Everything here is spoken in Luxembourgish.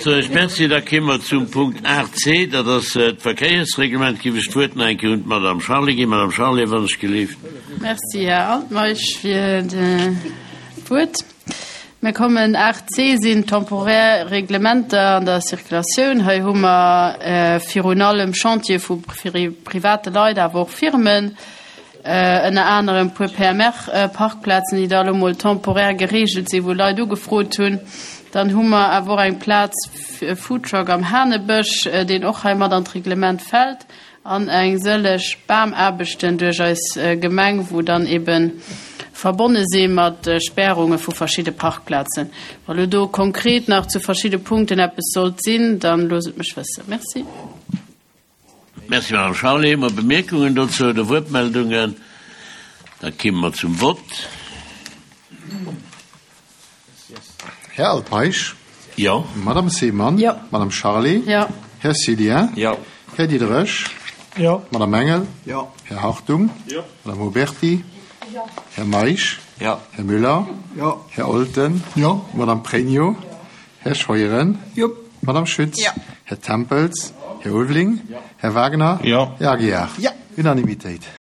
Soen ech Merci. Da kéime mer zum Punkt 8c, dat ass d'Verkéiersreglement. Giff ech d'Wuert nach eng Kéier un d'Madame Charlé ginn. Madame Charlé, wann ech gelift. Merci, Här Altmeisch, fir d'Wuert. Mir kommen, 8c sinn temporär Reglementer an der Circulatioun. Hei hu mer virun allem Chantiere vu private Leit, awer och Firmen. Ënner anerem puer PMR-Parkplazen, déi da elo mol temporär gereegelt sinn, wou Leit ugefrot hunn. Dann hu mer awer och eng Plaz fir e Foodtruck am Hanebësch, deen och hei mat an d'Reglement fält, an eng sëlleg Bamaarbechten duerch eis Gemeng, wou dann ebe verbonne si mat Spärunge vu verschidde Parkplazen. Wa lo do konkret nach zu verschidde Punkten eppes sollt sinn, dann loosst et mech wëssen. Merci. Merci, Madame Charlé. Hu mer Bemierkungen dozou oder Wuertmeldungen? Da kimme mer zum Vott. Här Altmeisch? Jo. Madame Seemann? Jo. Madame Charlé? Jo. Här Cillien? Jo. Här Diderich? Jo. Madame Engel? Jo. Här Hartung? Jo. Madame Huberty? Jo. Här Meisch? Jo. Här Müller? Jo. Här Olten? Jo. Madame Pregno? Här Scheuren? Jo. Madame Schütz? Jo. Här Tempels? Här Ulveling? Jo. Här Wagner? Jo. Här Aguiar? Jo. Unanimitéit.